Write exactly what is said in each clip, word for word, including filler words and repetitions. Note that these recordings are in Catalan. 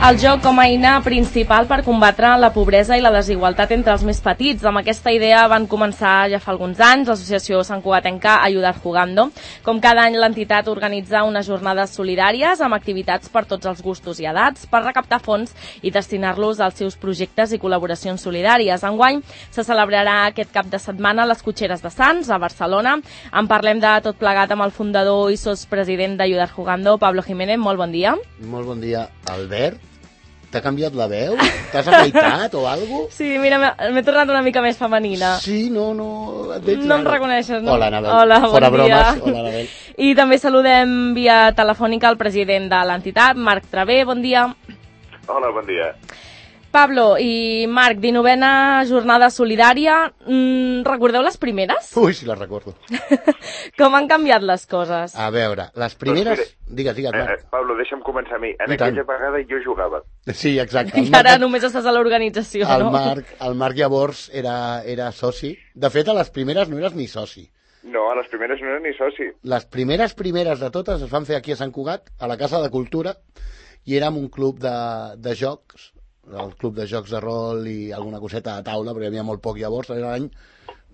el joc com a eina principal per combatre la pobresa i la desigualtat entre els més petits. Amb aquesta idea van començar ja fa alguns anys l'associació santcugatenca Ayudar Jugando. Com cada any, l'entitat organitza unes jornades solidàries amb activitats per tots els gustos i edats per recaptar fons i destinar-los als seus projectes i col·laboracions solidàries. Enguany se celebrarà aquest cap de setmana a les Cotxeres de Sants, a Barcelona. En parlem de tot plegat amb el fundador i sotspresident d'Ayudar Jugando, Pablo Jiménez. Molt bon dia. Molt bon dia. Albert, t'ha canviat la veu? T'has afaitat o alguna cosa? Sí, mira, m'he tornat una mica més femenina. Sí, no, no... Et veig no em reconeixes, no? Hola, Anabel. Hola, Fora bon bromes. dia. Hola, Anabel. I també saludem via telefònica el president de l'entitat, Marc Travé. Bon dia. Hola, bon dia. Pablo i Marc, dinovena jornada solidària. Mm, recordeu les primeres? Ui, sí, les recordo. Com han canviat les coses? A veure, les primeres... Doncs mira, digues, digues, Marc. Eh, Pablo, deixa'm començar a mi. En I tant. aquella vegada jo jugava. Sí, exacte. I ara només estàs a l'organització, el no? Marc, el Marc llavors era, era soci. De fet, a les primeres no eres ni soci. No, a les primeres no era ni soci. Les primeres primeres de totes es van fer aquí a Sant Cugat, a la Casa de Cultura, i érem un club de, de jocs, el club de jocs de rol i alguna coseta de taula, perquè hi havia molt poc llavors, era l'any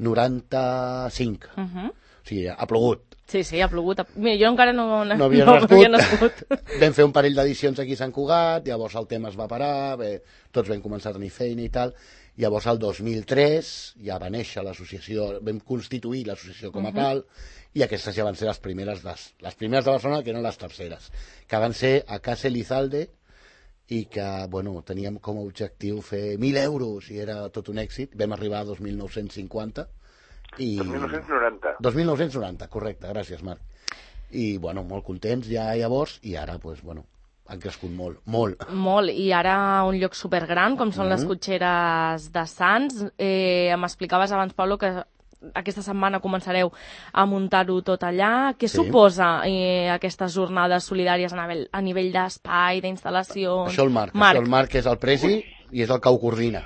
noranta-cinc. Uh -huh. O sigui, ha plogut. Sí, sí, ha plogut. Mira, jo encara no, no havia no, nascut. No havia nascut. Vam fer un parell d'edicions aquí a Sant Cugat, llavors el tema es va parar, bé, tots vam començar a tenir feina i tal. Llavors, el dos mil tres, ja va néixer l'associació, vam constituir l'associació com a uh -huh. tal, i aquestes ja van ser les primeres, les, les primeres de Barcelona, que eren les terceres, que van ser a Casa Elizalde, i que, bueno, teníem com a objectiu fer mil euros, i era tot un èxit. Vam arribar a dos mil nou-cents cinquanta. I... dos mil nou-cents noranta. dos mil nou-cents noranta, correcte, gràcies, Marc. I, bueno, molt contents ja llavors, i ara, pues, bueno, han crescut molt, molt. Molt, i ara un lloc supergran, com són mm -hmm. les Cotxeres de Sants. Eh, M'explicaves abans, Pablo, que aquesta setmana començareu a muntar-ho tot allà. Què sí. suposa eh, aquestes jornades solidàries a nivell, a nivell d'espai, d'instal·lació? Això el Marc, Marc. Això el Marc és el presi i és el que ho coordina.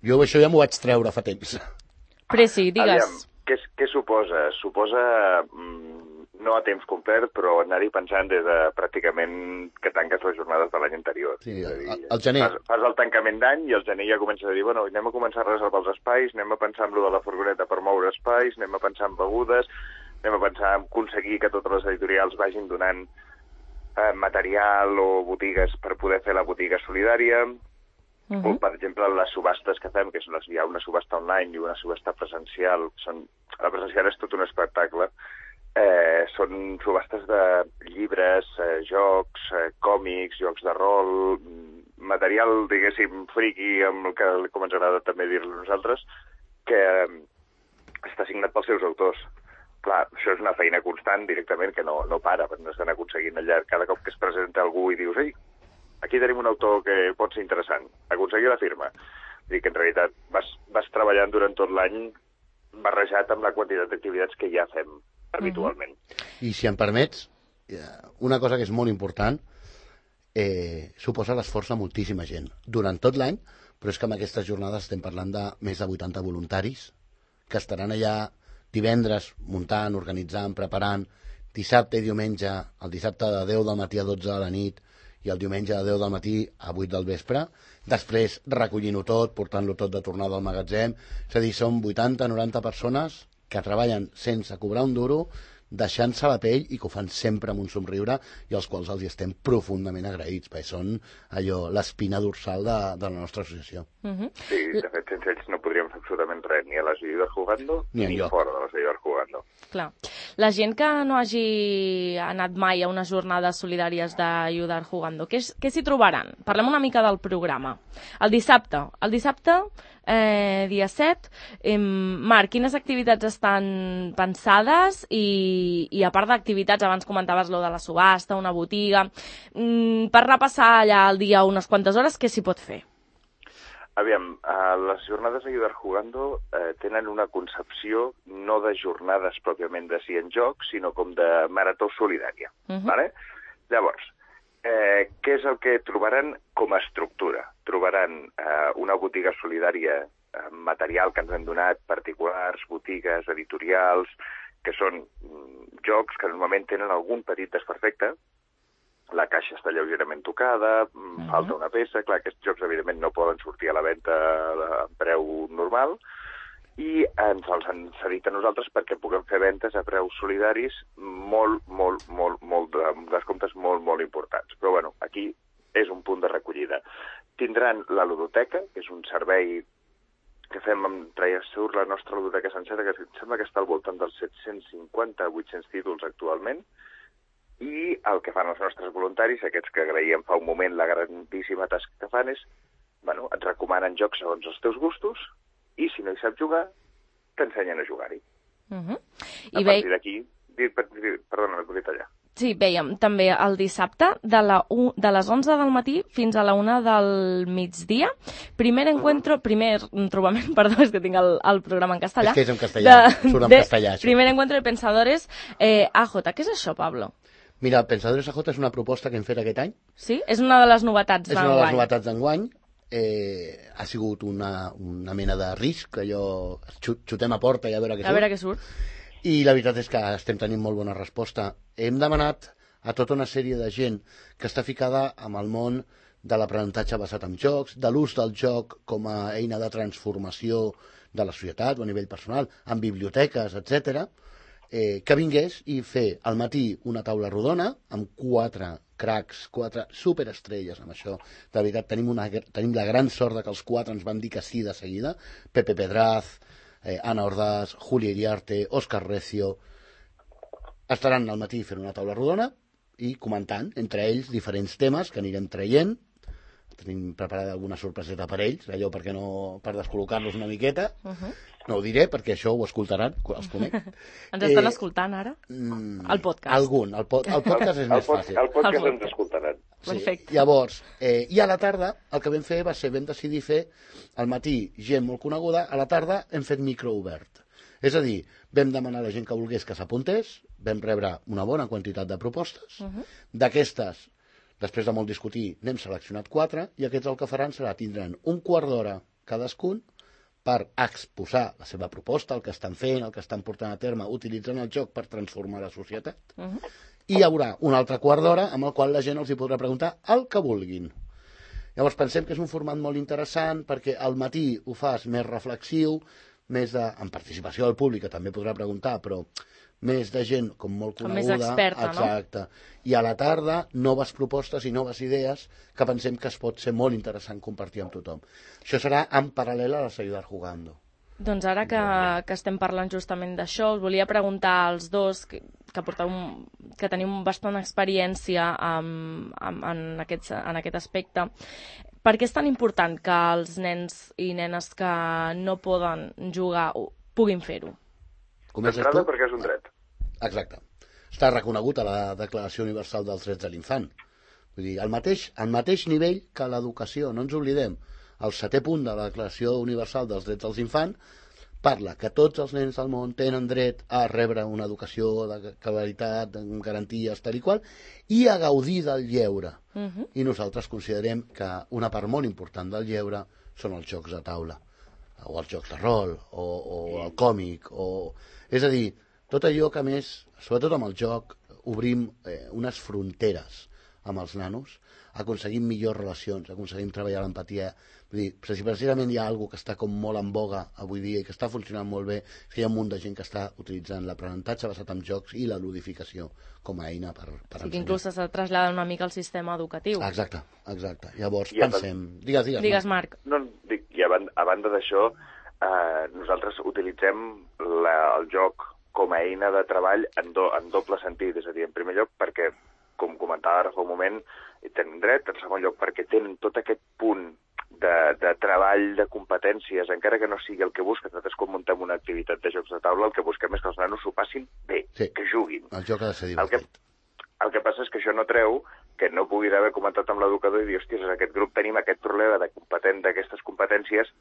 Jo això ja m'ho vaig treure fa temps. Presi, digues. Aviam, què, què suposa? Suposa, mm, no a temps complet, però anar-hi pensant des de pràcticament que tanques les jornades de l'any anterior. Sí, el, el gener. Fas, fas el tancament d'any i el gener ja comences a dir, bueno, anem a començar a reservar els espais, anem a pensar en lo de la furgoneta per moure espais, anem a pensar en begudes, anem a pensar en aconseguir que totes les editorials vagin donant eh, material o botigues per poder fer la botiga solidària. Uh -huh. O, per exemple, les subhastes que fem, que són les, hi ha una subhasta online i una subhasta presencial. Són, la presencial és tot un espectacle. Eh, són subhastes de llibres, eh, jocs, eh, còmics, jocs de rol, material, diguéssim, friqui, amb el que com ens agrada també dir-lo nosaltres, que eh, està signat pels seus autors. Clar, això és una feina constant directament que no, no para, perquè no estan aconseguint allà. Cada cop que es presenta algú i dius, ei, aquí tenim un autor que pot ser interessant, aconseguir la firma. Dir que en realitat vas, vas treballant durant tot l'any barrejat amb la quantitat d'activitats que ja fem habitualment. I si em permets, una cosa que és molt important, eh, suposa l'esforç de moltíssima gent durant tot l'any, però és que amb aquestes jornades estem parlant de més de vuitanta voluntaris que estaran allà divendres muntant, organitzant, preparant, dissabte i diumenge, el dissabte de deu del matí a dotze de la nit i el diumenge de deu del matí a vuit del vespre, després recollint-ho tot, portant-lo tot de tornada al magatzem. És a dir, són vuitanta noranta persones que treballen sense cobrar un duro, deixant-se la pell i que ho fan sempre amb un somriure i als quals els estem profundament agraïts, perquè són allò, l'espina dorsal de, de la nostra associació. Uh -huh. Sí, de fet, sense ells no podríem fer absolutament res, ni a les Ayudar Jugando, ni, ni fora de les Ayudar Jugando. Clar. La gent que no hagi anat mai a unes jornades solidàries d'Ayudar Jugando, què, què s'hi trobaran? Parlem una mica del programa. El dissabte, el dissabte, eh, dia set, eh, Marc, quines activitats estan pensades? I, i a part d'activitats, abans comentaves lo de la subhasta, una botiga, mm, per repassar allà el dia unes quantes hores, què s'hi pot fer? Aviam, eh, les jornades Ayudar Jugando eh, tenen una concepció no de jornades pròpiament de si en joc, sinó com de marató solidària. Uh-huh. Vale? Llavors, eh, què és el que trobaran com a estructura? Trobaran eh, una botiga solidària, eh, material que ens han donat, particulars, botigues, editorials, que són mm, jocs que normalment tenen algun petit desperfecte, la caixa està lleugerament tocada, uh-huh. falta una peça, clar, aquests jocs evidentment no poden sortir a la venda a preu normal, i ens els han cedit a nosaltres perquè puguem fer ventes a preus solidaris molt, molt, molt, molt, de descomptes molt, molt importants. Però, bueno, aquí és un punt de recollida. Tindran la ludoteca, que és un servei que fem amb traia surt la nostra ludoteca sencera, que sembla que està al voltant dels set-cents cinquanta a vuit-cents títols actualment, i el que fan els nostres voluntaris, aquests que agraïem fa un moment la grandíssima tasca que fan, és, bueno, et recomanen jocs segons els teus gustos, i si no hi saps jugar, t'ensenyen a jugar-hi. Uh-huh. A partir d'aquí, perdona, m'he tallar. Sí, veiem també el dissabte de, la u, de les onze del matí fins a la una del migdia. Primer encuentro, uh-huh. primer trobament, perdó, és que tinc el, el programa en castellà. És que és en castellà, de, surt en de, castellà. Això. Primer encuentro de pensadores eh, A J. Què és això, Pablo? Mira, Pensadores A J és una proposta que hem fet aquest any. Sí? És una de les novetats d'enguany. És una de les novetats d'enguany. Eh, ha sigut una, una mena de risc, allò xutem a porta i a veure què surt. A veure què surt. I la veritat és que estem tenint molt bona resposta. Hem demanat a tota una sèrie de gent que està ficada amb el món de l'aprenentatge basat en jocs, de l'ús del joc com a eina de transformació de la societat o a nivell personal, en biblioteques, etcètera, eh, que vingués i fer al matí una taula rodona amb quatre cracs, quatre superestrelles amb això. De veritat, tenim, una, tenim la gran sort de que els quatre ens van dir que sí de seguida. Pepe Pedraz, eh, Ana Ordaz, Julia Iriarte, Òscar Recio. Estaran al matí fent una taula rodona i comentant entre ells diferents temes que anirem traient. Tenim preparada alguna sorpreseta per ells, allò perquè no, per descol·locar-los una miqueta. Uh-huh. No ho diré perquè això ho escoltaran, els conec. Ens estan eh, escoltant ara? Mm, el podcast. Algun, el, po el podcast és el, més el fàcil. El podcast el ens escoltaran. Sí. Perfecte. Llavors, eh, i a la tarda, el que vam fer va ser, vam decidir fer al matí gent molt coneguda, a la tarda hem fet micro obert. És a dir, vam demanar a la gent que volgués que s'apuntés, vam rebre una bona quantitat de propostes, uh-huh. d'aquestes, després de molt discutir, n'hem seleccionat quatre, i aquests el que faran serà, tindran un quart d'hora cadascun per exposar la seva proposta, el que estan fent, el que estan portant a terme, utilitzant el joc per transformar la societat. Uh-huh. I hi haurà un altre quart d'hora amb el qual la gent els hi podrà preguntar el que vulguin. Llavors pensem que és un format molt interessant perquè al matí ho fas més reflexiu, més de, en participació del públic, que també podrà preguntar, però més de gent com molt coneguda. Com més experta, exacte. No? I a la tarda, noves propostes i noves idees que pensem que es pot ser molt interessant compartir amb tothom. Això serà en paral·lel a la Seguidar Jugando. Doncs ara que, que estem parlant justament d'això, us volia preguntar als dos que, que, porteu un, que teniu bastant experiència en, en, en, aquest, en aquest aspecte. Per què és tan important que els nens i nenes que no poden jugar puguin fer-ho? D'entrada perquè és un dret. Exacte. Està reconegut a la Declaració Universal dels Drets de l'Infant. Vull dir, al mateix, al mateix nivell que l'educació, no ens oblidem. El setè punt de la Declaració Universal dels Drets dels Infants parla que tots els nens del món tenen dret a rebre una educació de qualitat, amb garanties, tal i qual, i a gaudir del lleure. Uh-huh. I nosaltres considerem que una part molt important del lleure són els jocs de taula, o els jocs de rol, o, o el còmic, o... És a dir, tot allò que més, sobretot amb el joc, obrim eh, unes fronteres amb els nanos, aconseguim millors relacions, aconseguim treballar l'empatia. Vull dir, si precisament hi ha alguna que està com molt en boga avui dia i que està funcionant molt bé, és que hi ha un munt de gent que està utilitzant l'aprenentatge basat en jocs i la ludificació com a eina per, per sí, ensenyar. Que inclús s'ha traslladat una mica al sistema educatiu. Exacte, exacte. Llavors I pensem... Digues, digues, digues Marc. No, dic, i a banda, a banda d'això, eh, nosaltres utilitzem la, el joc com a eina de treball en, do, en doble sentit. És a dir, en primer lloc perquè, com comentava ara fa un moment, tenen dret, en segon lloc perquè tenen tot aquest punt de, de treball, de competències, encara que no sigui el que busquen. Nosaltres quan muntem una activitat de jocs de taula el que busquem és que els nanos s'ho passin bé, sí, que juguin. El joc ha de ser divertit. El que, el que passa és que això no treu que no pugui haver comentat amb l'educador i dir, hòsties, en aquest grup tenim aquest problema de competent d'aquestes competències,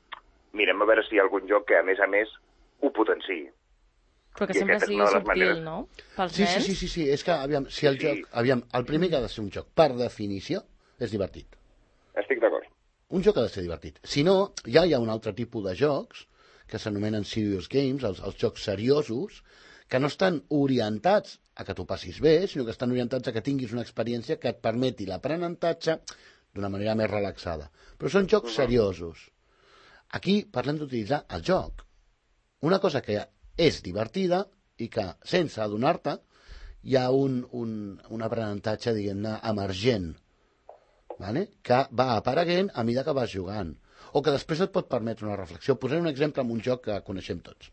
mirem a veure si hi ha algun joc que a més a més ho potenciï. Però que sempre sigui subtil, maneres... no? Pels sí, nens. sí, sí, sí, sí, és que, aviam, si el sí. joc, aviam, el primer que ha de ser un joc, per definició, és divertit. Estic d'acord. Un joc ha de ser divertit. Si no, ja hi ha un altre tipus de jocs, que s'anomenen serious games, els, els jocs seriosos, que no estan orientats a que t'ho passis bé, sinó que estan orientats a que tinguis una experiència que et permeti l'aprenentatge d'una manera més relaxada. Però són jocs seriosos. Aquí parlem d'utilitzar el joc. Una cosa que és divertida i que, sense adonar-te, hi ha un, un, un aprenentatge, diguem-ne, emergent, vale? Que va apareguent a mesura que vas jugant, o que després et pot permetre una reflexió. Posaré un exemple amb un joc que coneixem tots.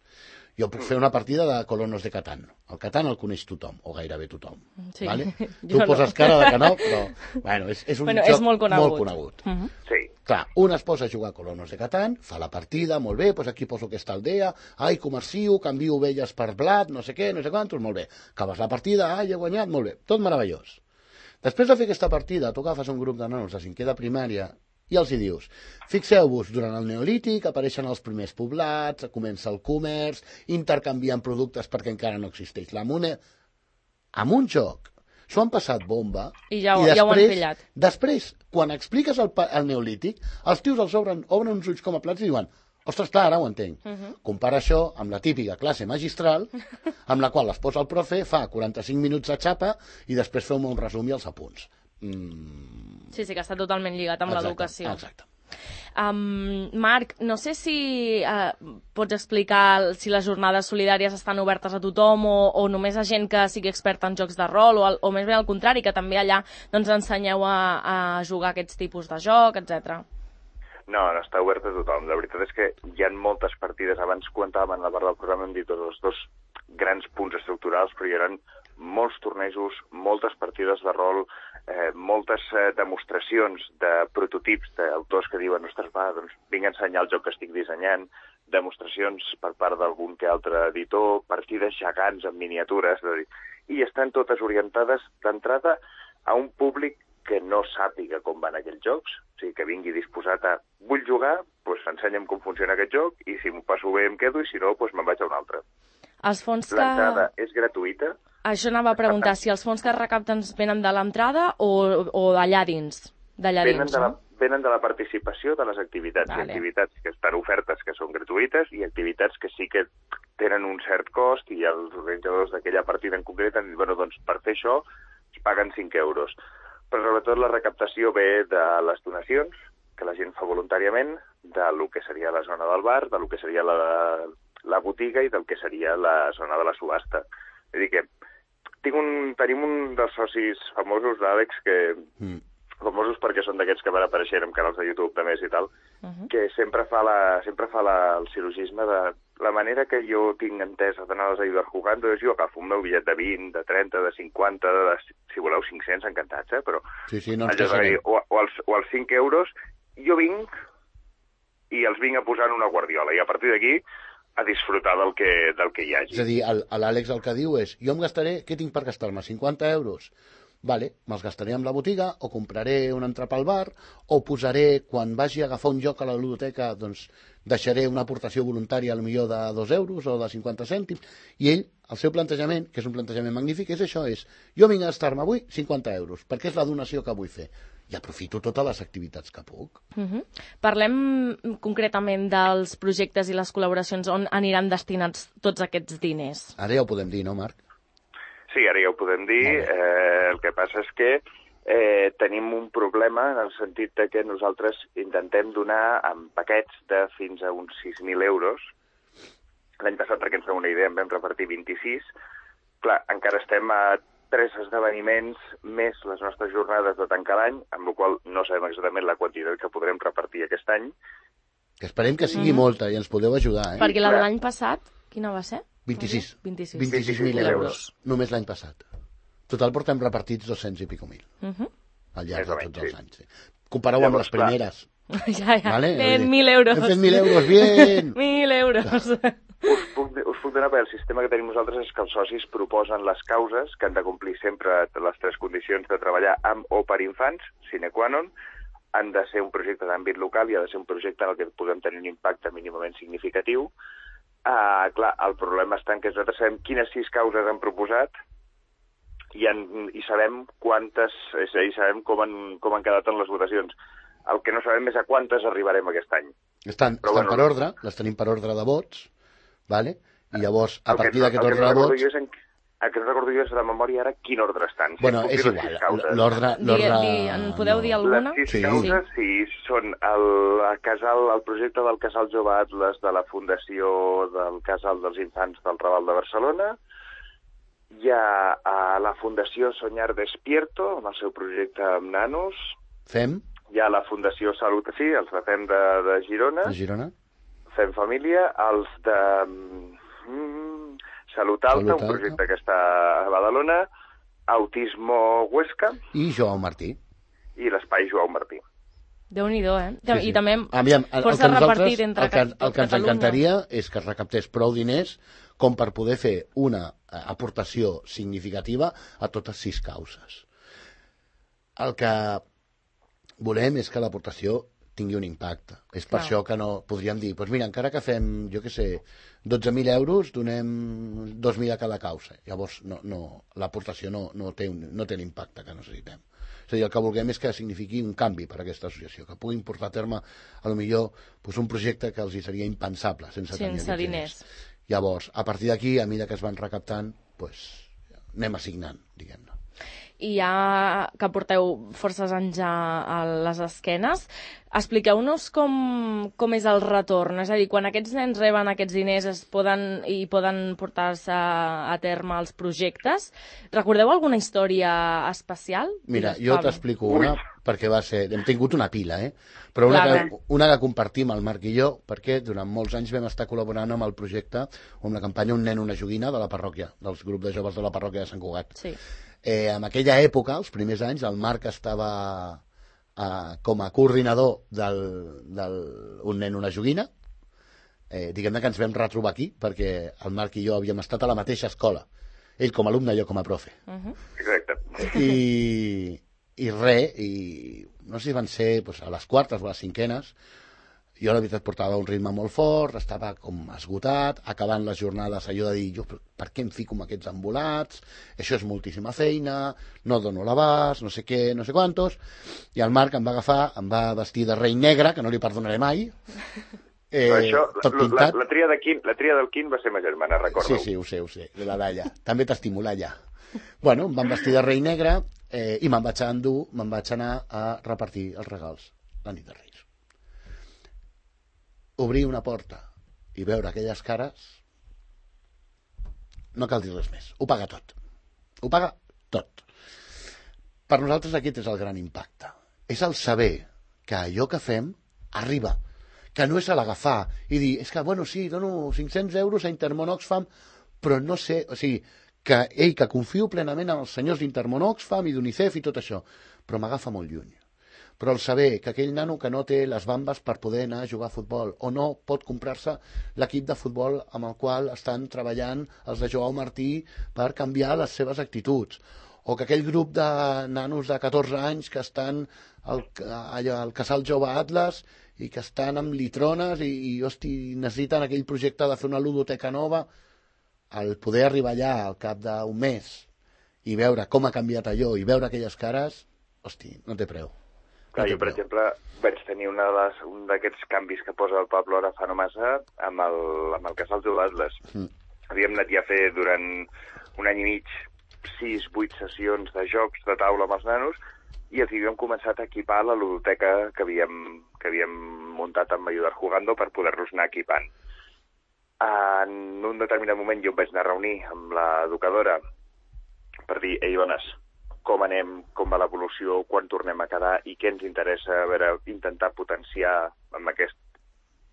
Jo puc fer una partida de Colonos de Catán. El Catán el coneix tothom, o gairebé tothom. Sí. Vale? Tu poses no. cara de que no, però bueno, és, és un bueno, joc és molt conegut. Molt conegut. Uh -huh. Sí. Clar, un es posa a jugar a Colonos de Catán, fa la partida, molt bé, doncs aquí poso aquesta aldea, ai, comercio, canvio ovelles per blat, no sé què, no sé quantos, molt bé. Acabes la partida, ai, he guanyat, molt bé, tot meravellós. Després de fer aquesta partida, tu agafes un grup de nanos de cinquè de primària i els hi dius, fixeu-vos, durant el Neolític apareixen els primers poblats, comença el comerç, intercanvien productes perquè encara no existeix la moneda. Amb un joc, s'ho han passat bomba i ja, i després, ja ho han pillat. Després, quan expliques el, el Neolític, els tios els obren, obren uns ulls com a plats i diuen, ostres, clar, ara ho entenc. Uh -huh. Compara això amb la típica classe magistral, amb la qual es posa el profe, fa quaranta-cinc minuts de xapa i després feu un resum i els apunts. Mm. Sí, sí, que està totalment lligat amb l'educació. Exacte. Um, Marc, no sé si uh, pots explicar si les jornades solidàries estan obertes a tothom o, o només a gent que sigui experta en jocs de rol o, o més bé al contrari, que també allà doncs, ensenyeu a, a jugar aquests tipus de joc, etcètera. No, no està obert a tothom. La veritat és que hi ha moltes partides. Abans comentàvem en la part del programa, hem dit els dos grans punts estructurals, però hi ha molts tornejos, moltes partides de rol, eh, moltes eh, demostracions de prototips d'autors que diuen, ostres, va, doncs vinc a ensenyar el joc que estic dissenyant, demostracions per part d'algun que altre editor, partides gegants en miniatures, i estan totes orientades d'entrada a un públic que no sàpiga com van aquells jocs, o sigui, que vingui disposat a vull jugar, doncs ensenya'm com funciona aquest joc, i si m'ho passo bé em quedo, i si no, doncs me'n vaig a un altre. Els fons que... L'entrada és gratuïta. Això anava a preguntar, si els fons que es recapten venen de l'entrada o, o d'allà dins? D'allà venen, dins, de la, no? venen de la participació de les activitats. Vale. Hi ha activitats que estan ofertes que són gratuïtes i activitats que sí que tenen un cert cost i els organitzadors d'aquella partida en concret han dit, bueno, doncs per fer això es paguen cinc euros. Però sobretot la recaptació ve de les donacions que la gent fa voluntàriament, de lo que seria la zona del bar, de lo que seria la, la botiga i del que seria la zona de la subhasta. És a dir que tinc un, tenim un dels socis famosos d'Àlex que... Mm. famosos perquè són d'aquests que van apareixent en canals de YouTube de més i tal, uh -huh. que sempre fa, la, sempre fa la, el silogisme de la manera que jo tinc entesa d'anar-les a ajudar jugant, doncs jo agafo un meu bitllet de vint, de trenta, de cinquanta, de, si voleu cinc-cents, encantats, eh? Però sí, sí, no ens dir, o, o, els, o els cinc euros, jo vinc i els vinc a posar en una guardiola, i a partir d'aquí a disfrutar del que, del que hi hagi. És a dir, l'Àlex el que diu és, jo em gastaré, què tinc per gastar-me? cinquanta euros? Vale, me'ls gastaré amb la botiga, o compraré un entrepà al bar, o posaré, quan vagi a agafar un joc a la ludoteca, doncs deixaré una aportació voluntària potser de dos euros o de cinquanta cèntims, i ell, el seu plantejament, que és un plantejament magnífic, és això, és, jo vinc a gastar-me avui cinquanta euros, perquè és la donació que vull fer, i aprofito totes les activitats que puc. Uh-huh. Parlem concretament dels projectes i les col·laboracions on aniran destinats tots aquests diners. Ara ja ho podem dir, no, Marc? Sí, ara ja ho podem dir. Eh, el que passa és que eh, tenim un problema en el sentit de que nosaltres intentem donar en paquets de fins a uns sis mil euros. L'any passat, perquè ens fem una idea, en vam repartir vint-i-sis. Clar, encara estem a tres esdeveniments més les nostres jornades de tancar l'any, amb la qual no sabem exactament la quantitat que podrem repartir aquest any. Que esperem que sigui mm. molta i ens podeu ajudar, eh? Perquè la de l'any passat, quina va ser? vint-i-sis. vint-i-sis mil euros. Només l'any passat. Total portem repartits dos-cents i pico mil. Uh -huh. Al llarg de tots els sí. anys. Sí. Compareu amb les primeres. Ja, ja. Vale? Ben, mil euros. Hem fet mil euros, bien! Mil euros. Us puc, us puc donar, perquè el sistema que tenim nosaltres és que els socis proposen les causes que han de complir sempre les tres condicions de treballar amb o per infants, sine qua non, han de ser un projecte d'àmbit local i ha de ser un projecte en el que podem tenir un impacte mínimament significatiu. Uh, clar, el problema està en que nosaltres sabem quines sis causes han proposat i, en, i sabem quantes, és a dir, sabem com han, com han quedat en les votacions. El que no sabem és a quantes arribarem aquest any. Estan, estan bueno, per ordre, les tenim per ordre de vots, vale? I llavors, a el partir no, d'aquest ordre no de vots... Jo és en, el que no recordo jo és de memòria ara quin ordre estan. Bueno, si és igual, l'ordre... En podeu dir alguna? Les sis sí. causes, sí, són el, el, casal, el projecte del Casal Jove Atlas de la Fundació del Casal dels Infants del Raval de Barcelona. Hi ha a la Fundació Soñar Despierto, amb el seu projecte amb nanos. Fem? Hi ha la Fundació Salut, sí, els de Fem de, de Girona. De Girona. Fem Família, els de mm, Salut Alta, Salut un projecte Alta. que està a Badalona, Autismo Huesca... I Joao Martí. I l'Espai Joao Martí. Déu-n'hi-do, eh? Sí, sí. I també Aviam, força repartit entre el que, el que ens encantaria és que es recaptés prou diners com per poder fer una aportació significativa a totes sis causes. El que volem és que l'aportació tingui un impacte. És per Clar. això que no podríem dir, doncs mira, encara que fem, jo què sé, dotze mil euros, donem dos mil a cada causa. Llavors, no, no, l'aportació no, no, té un, no té l'impacte que necessitem. És a dir, el que vulguem és que signifiqui un canvi per a aquesta associació, que puguin portar a terme, a lo millor, doncs un projecte que els hi seria impensable sense, sense tenir diners. diners. Llavors, a partir d'aquí, a mesura que es van recaptant, doncs, anem assignant, diguem-ne. I ja que porteu forces anys a, a les esquenes, expliqueu-nos com, com és el retorn. És a dir, quan aquests nens reben aquests diners es poden, i poden portar-se a, a terme els projectes, recordeu alguna història especial? Mira, jo t'explico una, perquè va ser... Hem tingut una pila, eh? Però una que, una que compartim el Marc i jo, perquè durant molts anys vam estar col·laborant amb el projecte, amb la campanya Un nen, una joguina de la parròquia, dels grups de joves de la parròquia de Sant Cugat. Sí. Eh, en aquella època, els primers anys, el Marc estava eh, com a coordinador del, del Un nen, una joguina. Eh, diguem-ne que ens vam retrobar aquí, perquè el Marc i jo havíem estat a la mateixa escola. Ell com a alumne, jo com a profe. Uh-huh. Exacte. I, i res, i no sé si van ser doncs, a les quartes o a les cinquenes, jo la veritat portava un ritme molt fort, estava com esgotat, acabant les jornades allò de dir, jo per què em fico amb aquests embolats, això és moltíssima feina, no dono l'abast, no sé què, no sé quantos, i el Marc em va agafar, em va vestir de rei negre, que no li perdonaré mai, eh, això, tot pintat. La, la, tria de Quim, la tria del Quim va ser ma germana, recordo. Sí, sí, ho sé, ho sé, de la Dalla, també t'estimula allà. Bueno, em van vestir de rei negre eh, i me'n vaig endur, me'n vaig anar a repartir els regals la nit de Reis. Obrir una porta i veure aquelles cares, no cal dir res més. Ho paga tot. Ho paga tot. Per nosaltres aquest és el gran impacte. És el saber que allò que fem arriba. Que no és a l'agafar i dir, és que, bueno, sí, dono cinc-cents euros a Intermón Oxfam, però no sé, o sigui, que ell, que confio plenament en els senyors d'Intermón Oxfam i d'UNICEF i tot això, però m'agafa molt lluny. Però el saber que aquell nano que no té les bambes per poder anar a jugar a futbol o no pot comprar-se l'equip de futbol amb el qual estan treballant els de Joao Martí per canviar les seves actituds, o que aquell grup de nanos de catorze anys que estan al, allà, al Casal Jove Atlas i que estan amb litrones i, i hosti, necessiten aquell projecte de fer una ludoteca nova, el poder arribar allà al cap d'un mes i veure com ha canviat allò i veure aquelles cares, hosti, no té preu. Clar, jo, per exemple, vaig tenir una de les, un d'aquests canvis que posa el Pablo ara fa no massa amb el, amb el Casal Jove Atlas. Mm. Havíem anat ja a fer durant un any i mig sis, vuit sessions de jocs de taula amb els nanos i els havíem començat a equipar la ludoteca que havíem, que havíem muntat amb Ayudar Jugando per poder-los anar equipant. En un determinat moment jo em vaig anar a reunir amb l'educadora per dir, ei, dones, com anem, com va l'evolució, quan tornem a quedar i què ens interessa, a veure, intentar potenciar amb aquest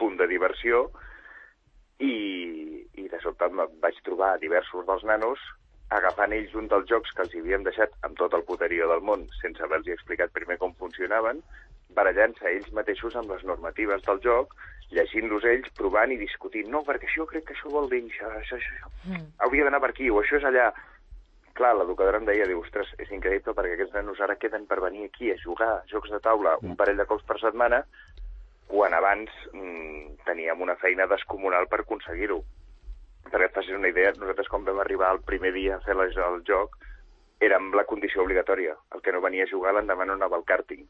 punt de diversió i, i de sobte em vaig trobar diversos dels nanos agafant ells un dels jocs que els havíem deixat amb tot el poterió del món sense haver-los explicat primer com funcionaven, barallant-se ells mateixos amb les normatives del joc, llegint-los ells, provant i discutint. No, perquè això crec que això vol dir això, això, això. Mm. Hauria d'anar per aquí o això és allà. Clar, l'educadora em deia, diu, ostres, és increïble perquè aquests nanos ara queden per venir aquí a jugar jocs de taula un parell de cops per setmana, quan abans mmm, teníem una feina descomunal per aconseguir-ho. Perquè et facis una idea, nosaltres quan vam arribar el primer dia a fer el joc, érem la condició obligatòria. El que no venia a jugar l'endemà no anava al càrting.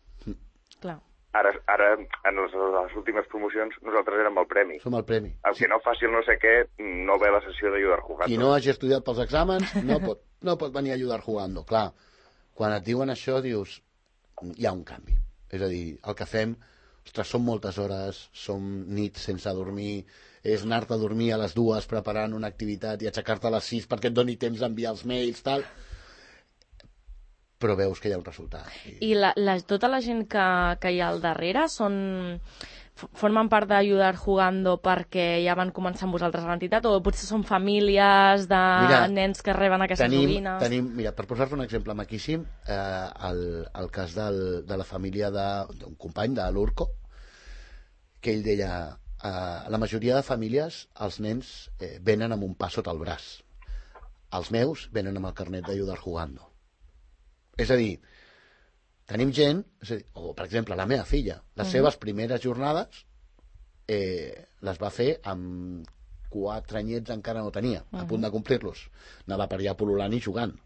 Clar. Ara, ara en les, les últimes promocions, nosaltres érem el premi. Som el premi. El que no faci el no sé què, no ve a la sessió d'Ayudar Jugando. Qui no hagi estudiat pels exàmens no pot, no pot venir a Ayudar Jugando. Clar, quan et diuen això dius, hi ha un canvi. És a dir, el que fem, ostres, són moltes hores, som nits sense dormir, és anar-te a dormir a les dues preparant una activitat i aixecar-te a les sis perquè et doni temps d'enviar els mails, tal... però veus que hi ha un resultat. I, I la, la, tota la gent que, que hi ha al darrere són, formen part d'Ayudar Jugando perquè ja van començar amb vosaltres a l'entitat, o potser són famílies de mira, nens que reben aquestes tenim, joguines? Tenim, mira, per posar-te un exemple maquíssim, eh, el, el cas del, de la família d'un company, de l'Urco, que ell deia, eh, la majoria de famílies, els nens eh, venen amb un pa sota el braç. Els meus venen amb el carnet d'Ayudar Jugando. És a dir, tenim gent, és a dir, o per exemple la meva filla, les uh-huh. seves primeres jornades eh, les va fer amb quatre anyets, encara no tenia, uh-huh. a punt de complir-los. Anava per allà pol·lulant i jugant.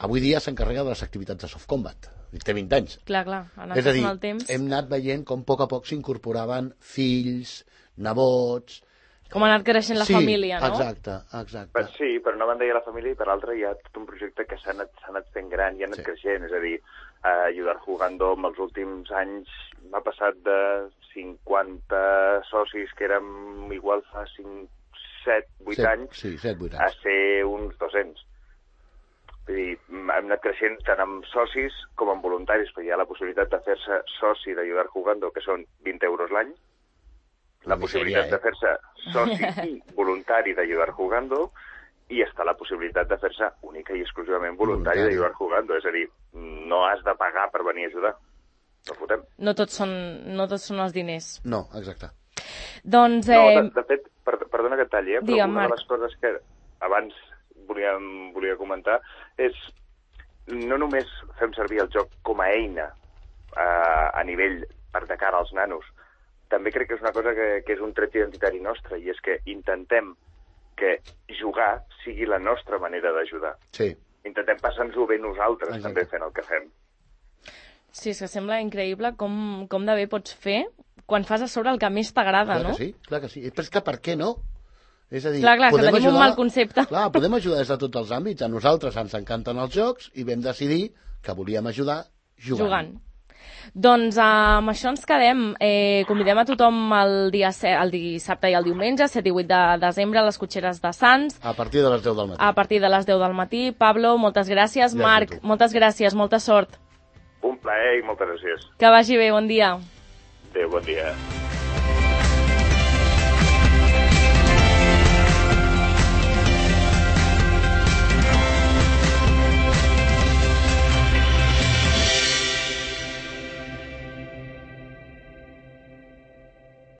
Avui dia s'encarrega de les activitats de soft combat. Té vint anys. Clar, clar, ha anat és a dir, el temps. Hem anat veient com a poc a poc s'incorporaven fills, nebots... Com ha anat creixent la sí, família, no? Exacte, exacte. Per, sí, per una banda hi ha la família i per l'altra hi ha tot un projecte que s'ha anat, anat fent gran i ha anat sí. creixent. És a dir, eh, Ayudar Jugando en els últims anys m'ha passat de cinquanta socis, que érem igual fa cinc, set, vuit anys, sí, set, vuit anys, a ser uns dos-cents. Vull dir, hem anat creixent tant amb socis com amb voluntaris, perquè hi ha la possibilitat de fer-se soci d'Ayudar Jugando, que són vint euros l'any, la possibilitat de fer-se soci i voluntari d'Ayudar Jugando, i està la possibilitat de fer-se única i exclusivament voluntari d'Ayudar Jugando. És a dir, no has de pagar per venir a ajudar. No fotem. No tots són, no tots són els diners. No, exacte. Doncs... Eh... No, de, de fet, per, perdona que et talli, eh? però Digue'm, una Marc. de les coses que abans volia, volia comentar és no només fem servir el joc com a eina eh, a nivell per de cara als nanos, també crec que és una cosa que, que és un tret identitari nostre, i és que intentem que jugar sigui la nostra manera d'ajudar. Sí. Intentem passar-nos-ho bé nosaltres, exacte. També fent el que fem. Sí, és que sembla increïble com, com de bé pots fer quan fas a sobre el que més t'agrada, no? Clar que sí, clar que sí. Però és que per què no? És a dir, clar, clar, que tenim ajudar, un mal concepte. Clar, podem ajudar des de tots els àmbits. A nosaltres ens encanten els jocs i vam decidir que volíem ajudar jugant. Jugant. Doncs uh, amb això ens quedem. Eh, convidem a tothom el, dia set, el dissabte i el diumenge, set i vuit de desembre, a les cotxeres de Sants. A partir de les deu del matí. A partir de les deu del matí. Pablo, moltes gràcies. Ja Marc, moltes gràcies, molta sort. Un plaer i moltes gràcies. Que vagi bé, bon dia. Adéu, bon dia.